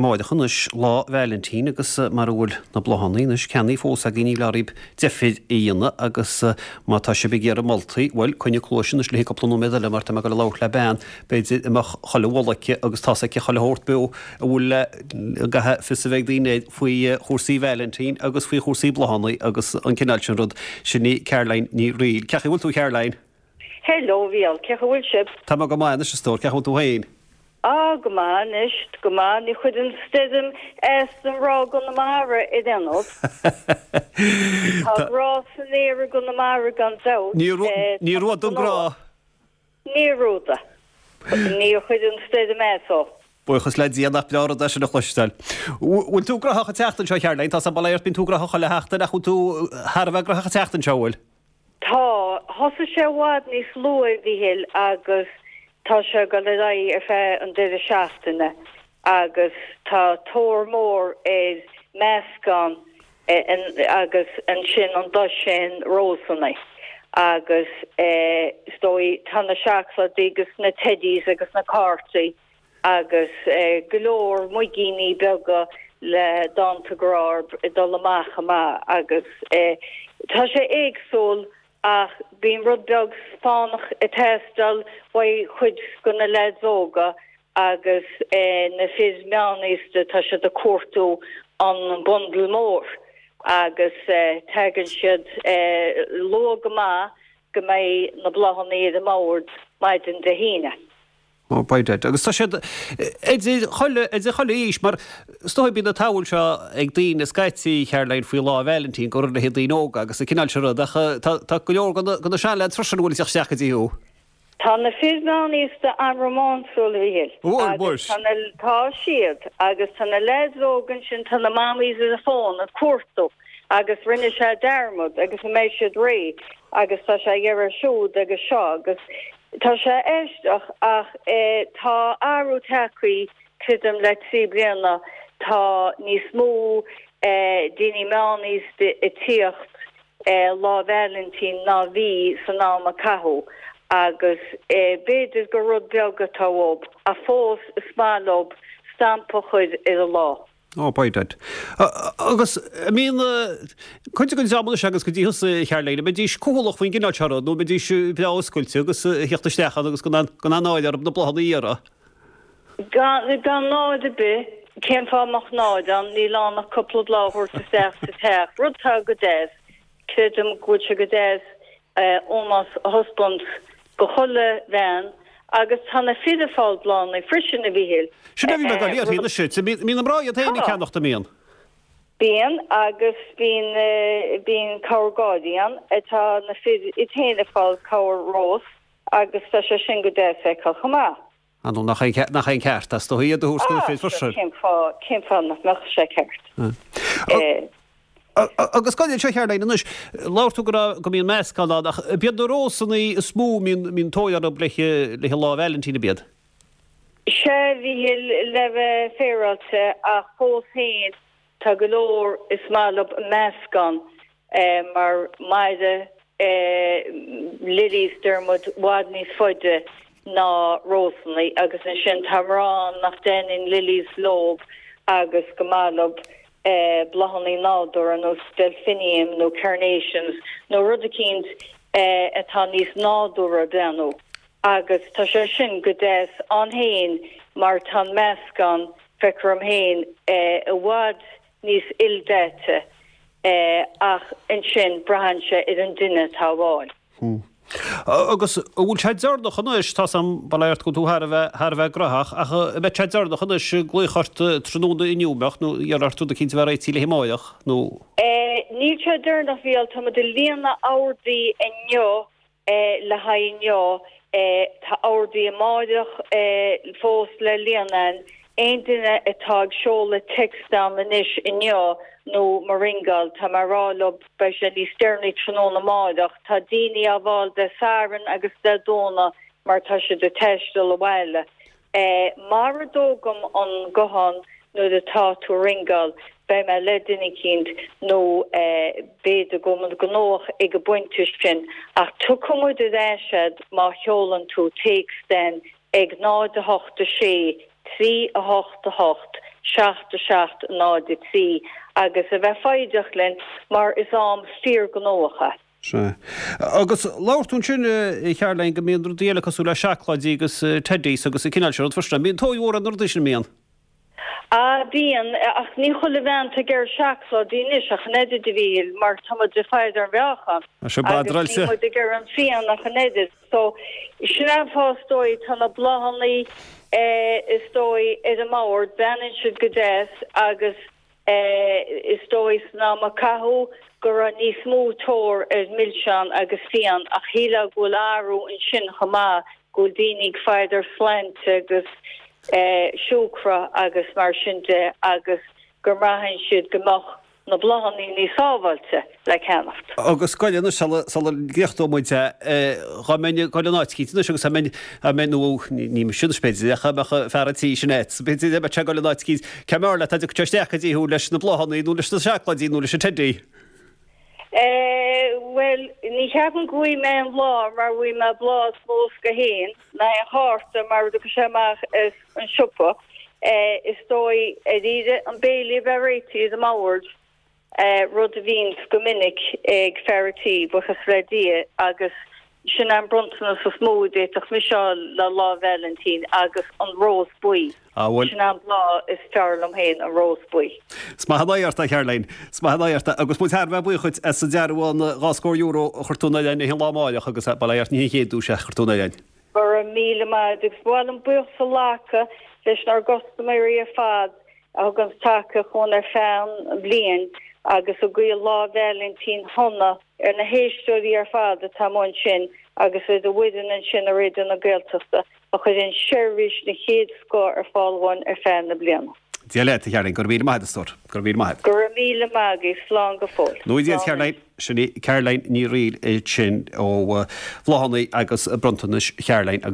amáireach anois, Lá Vailintín, agus mara bhfuil na bláthanna anois ceannaithe fós agaibh níl oraibh deifir a dhéanamh agus má tá sibh ag iarraidh moltaí, bhuel, coinnigh cluais anois le haghaidh cúpla nóiméad eile mar tá mé ag dul a labhairt le bean, b'fhéidir, a mbeadh chuile mholadh aici agus tá's aici chuile shórt beo a bhfuil le, a gcaithfidh fios a bheith ag daoine air faoi chúrsaí Vailintín agus faoi chúrsaí bláthanna agus an cineál sin rud. Sin í Caroline Ní Fhrighil. Cén chaoi a bhfuil tú, a Charoline? Hello, a Mhícheáil, cén chaoi a bhfuil sibh? Tá mé go maith anois, a stór, cén chaoi a bhfuil tú féin? Ah, go maith anois, go maith, ní chuireann stoirm as don ghrá i gConamara ar aon nós. Tá grá san aer i gConamara gan dabht. Ní rud don grá. Ní rud. Ní chuireann stoirm as dó. Buíochas le Dia nach breá rud é sin a chloisteáil. Bhfuil tú graitheach an tseachtain seo, a Charoline? Tá sam bail ort, bíonn tú graitheach chuile sheachtain ach bhfuil tú thar a bheith graitheach an tseachtain seo, bhfuil? Tá. Thosaigh sé i bhfad níos luaithe, a Mhíchíl, agus tá sé ag dul ar aghaidh ar feadh an deireadh seachtaine agus tá tóir mór ar meascán agus ansin an dosaen rósanna agus is dóigh tá na seacláidí agus na teddies agus na cártaí agus go leor muigíní beaga le dánta grá ag dul amach chomh maith agus tá sé éagsúil ach bíonn rud beag fánach ag teastáil uaidh chuid de na leaids óga agus na fir meánaosta tá siad ag cuartú an bundle mór agus tagann siad luath go maith go mbeidh na bláthanna ar an mbord maidin Dé hAoine. Oh, by dad. Agus tá siad idir chuile, idir chuile aois, mar is dóigh bíonn an tsamhail seo ag daoine scaití, Caroline, faoi Lá Vailintín, gur le haghaidh daoine óga agus an cineál sin rud, ach tá, tá go leor de na, de na seanleaids freisin a bhfuil ag teacht isteach go dtí thú. Tá na fir meánaosta an-rómánsúil, a Mhíchíl. Bhuel, muis. Agus tá na, tá siad, agus tá na leaids óga ansin, tá na mammies ar an bhfón ag cuartú agus rinne sé dearmad agus an mbeidh siad réidh agus tá sé ag iarraidh siúd agus seo agus Tá sé aisteach ach tá athrú tagtha, creidim, le 3 bliana. Tá níos mó daoine meánaosta ag tíocht Lá Vailintín ná bhí san am a caitheadh agus b'fhéidir gur rud beag atá uathu ach fós is maith leo stampa a chur ar an lá. Ó, by dad. Agus an mbíonn cuid den dream anois agus go dtí thusa, a Charoline, an mbeidís cúthaileach faoin gcineál seo rud nó an mbeidís breá oscailte agus a thíocht isteach ann agus gan aon náire orthu na bláthanna a iarraidh? Gan, gan náire ar bith. Cén fáth a mbeadh náire ann? Níl ann ach cúpla bláth a thabhairt isteach sa teach, rud atá go deas. Creidim go bhfuil sé go deas ómós a thaispeáint do chuile bhean agus tá na fir ag fáil bláthanna freisin, a Mhíchíl. Sin é a bhí mé ag dul a iarraidh anois. Bíonn na mná iad féin ag ceannacht, an mbíonn? Bíonn agus bíonn bíonn cabhair gáirí ann. Tá na fir iad féin ag fáil cabhair rós agus tá sé sin go deas a fheiceáil chomh maith. Ah nó nach é nach é an ceart is dóigh iad a thabhairt do na fir freisin. Cén fáth cén fáth nach mbeadh sé ceart? Agus gabh anseo a Charoline anois, labhair tú go raibh go mbíonn meascán ann ach ab iad na rósanna is mó a mbíonn mbíonn tóir orthu le le Lá Vailintín ab iad? Sea a Mhíchíl le bheith féaráilte ach fós féin tá go leor is maith leo meascán mar maireann lilies deir muid i bhfad níos faide ná rósanna agus ansin tá mná ann nach dtaitníonn lilies leob agus go maith leob bláthanna nádúrtha ar nós delphinium nó carnations nó rud eicínt atá níos nádúrtha breathnú agus tá sé sin go deas ann féin mar tá an meascán feictear dom féin i bhfad níos ildaite ach ansin braitheann sé ar an duine atá á bhfáil. Agus an bhfuil sé deireanach anois, tá 's a'm, bail ort go bhfuil tú thar a bheith, thar a bheith graitheach, ach an mbeidh sé deireanach anois glaoch ort tráthnóna inniu, an mbeadh, nó iarraidh ort rud eicínt a bheith réitithe le amárach, nó. Níl sé deireanach, a Mhíchíl, tá muid ag líonadh ordaí inniu le haghaidh inniu. Tá ordaí amáireach fós le líonadh. Aon duine atá ag seoladh text dom anois inniu nó mo ringeáil, tá mé ag rá leo beidh sé níos deireanaí tráthnóna amáireach. Tá daoine á bhfáil Dé Sathairn agus Dé Domhnaigh mar tá siad ag taisteal abhaile. Mara dtógaim an guthán nuair atá tú ag ringeáil, beidh mé le duine eicínt nó b'fhéidir go bhfuil muid gnóthach ag an bpointe sin ach tiocfaidh muid ar ais a'd má sheolann tú téacs den ag 0 8 6 3 8 8. 7 7 0 3 agus a bheith foighdeach linn mar is am fíorghnóthach é. Sea. Agus labhair tú ansin, a Charoline, go mbíonn rudaí eile cosúil le seacláidí agus teddies agus an cineál sin rud freisin. An mbíonn tóir mhór ar na rudaí sin, an mbíonn? Ah, bíonn, ach ní chuile bhean atá ag iarraidh seacláidí anois ach an oiread, a Mhíchíl, mar tá muid ag faire ar an mheáchan agus níl muid ag iarraidh an phian ach an oiread. So, sin é an fáth is dóigh, tá na bláthannaí is dóigh ar an mbord, breathnaíonn siad go deas agus is dóigh san am a caitheadh go raibh níos mó tóir ar mhilseáin agus fíon ach shílfeá go bhfuil athrú ansin chomh maith, go bhfuil daoine ag faire ar shláinte agus siúcra agus mar sin de agus go mbraitheann siad go mbeadh na bláthannaí níos sábháilte le ceannacht. Agus gabh i leith anois sula sula gcríochnóidh muid é, dhá mbeinn ag dul in áit eicínt anois agus dá mbeinn, dá mbeinn, nó ní mise anois b'fhéidir ach dá mbeadh fear an tí sin agat, b'fhéidir dá mbeadh sé ag dul in áit eicínt, cé mb'fhearr leat dá dtiocfadh sé isteach go dtí thú leis na bláthannaí nó leis na seacláidí nó leis an teddy? Eh, bhuel, ní cheapaim go bhfaighidh mé aon bhláth mar bhfaighidh mé bláth sa bhosca féin, ná aon chárta mar a dtiocfaidh sé amach as an siopa. Eh, is dóigh, ar iarraidh an béile a bheith réitithe ar an mbord, eh, rud a bhíonns go minic ag fear an tí, buíochas le Dia, agus sin an bronntanas is mó a d'fhéadfadh mise a fháil le Lá Vailintín agus an rós buí. Ah, bhuel. Sin an bláth is fearr liom féin, an rós buí. Is maith an aghaidh ort, a Charoline. Is maith an aghaidh ort. Agus muid thar a bheith buíoch dhuit as an dearbhán €20 a chuir tú in oileán an lá amáireach agus bail ó Dhia ort ní hé an chéad duais é a chuir tú in oileán. Go raibh míle maith agat agus ba mhaith liom buíochas a ghlacadh leis ár gcustaiméirí ar fad a thuganns tacaíocht dhúinn ar feadh an bhliain agus ag guí Lá Vailintín shona ar na héisteoirí ar fad atá amuigh ansin agus ar an bhfoireann ansin i Raidió na Gaeltachta a chuireann seirbhís den chéad scoth ar fáil dhúinn ar feadh na bliana. Dia leat, a Charoline. Go raibh míle maith agat, a stór. Go raibh míle maith agat. Go raibh míle maith agaibh. Slán go fóill. Nó Dia leat, a Charoline. Sin í Caroline Ní Fhrighil ansin ó Bhláthanna agus Bronntanais Charoline.